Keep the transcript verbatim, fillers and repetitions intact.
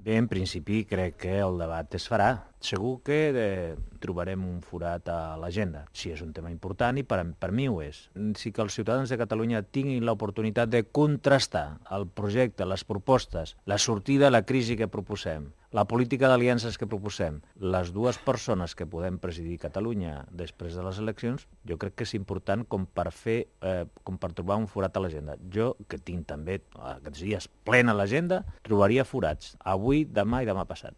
Bé, en principi crec que el debat es farà. Segur que eh, trobarem un forat a l'agenda, si és un tema important, i per, per mi ho és. Si que els ciutadans de Catalunya tinguin l'oportunitat de contrastar el projecte, les propostes, la sortida a la crisi que proposem, la política d'aliances que proposem, les dues persones que podem presidir Catalunya després de les eleccions, jo crec que és important com per fer, eh, com per trobar un forat a l'agenda. Jo, que tinc també aquests dies plena l'agenda, trobaria forats avui, demà i demà passat.